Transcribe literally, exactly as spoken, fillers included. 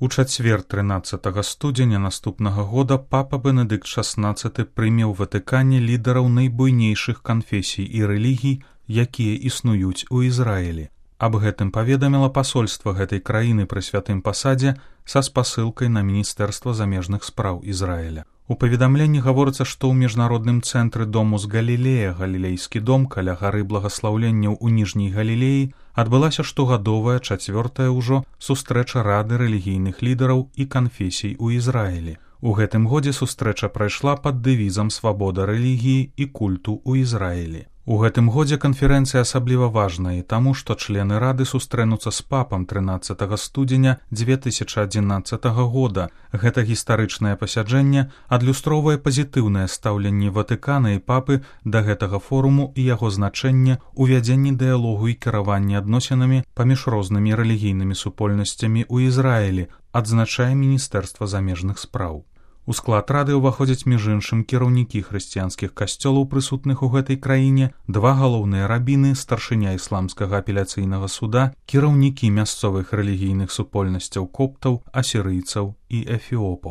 У чацвер трынаццатага студзеня наступнага года папа Бенедыкт шаснаццаты прыме ў Ватыкане лідараў найбуйнейшых канфесій і рэлігій, якія існуюць у Ізраілі. Аб гэтым паведаміла пасольства гэтай краіны пры святым пасадзе са спасылкай на Міністэрства замежных спраў Ізраіля. У паведамленні гаворыцца, што ў міжнародным цэнтры Домус Галілея, галілейскі дом каля гары благаслаўленняў у Ніжняй Галілеі, адбылася штогадовая чацвёртая ўжо сустрэча Рады рэлігійных лідараў і канфесій у Ізраілі. У гэтым годзе сустрэча прайшла пад дэвізам «Свабода рэлігіі і культу ў Ізраілі». У гэтым годзе канферэнцыя асабліва важная, таму што члены Рады сустрэнуцца з папам трынаццатага студзеня дзве тысячы адзінаццатага года. Гэта гістарычнае пасяджэнне адлюстроўвае пазітыўнае стаўленне Ватыкана і папы да гэтага форуму і яго значэнне ў вядзенні дыялогу і кіраванні адносінамі паміж рознымі рэлігійнымі супольнасцямі ў Ізраілі, адзначае Міністэрства замежных спраў. У склад Рады ўваходзяць між іншым кіраўнікі хрысціянскіх касцёлаў, прысутных у гэтай краіне, два галоўныя рабіны, старшыня ісламскага апеляцыйнага суда, кіраўнікі мясцовых рэлігійных супольнасцяў коптаў, асірыйцаў і эфіопаў.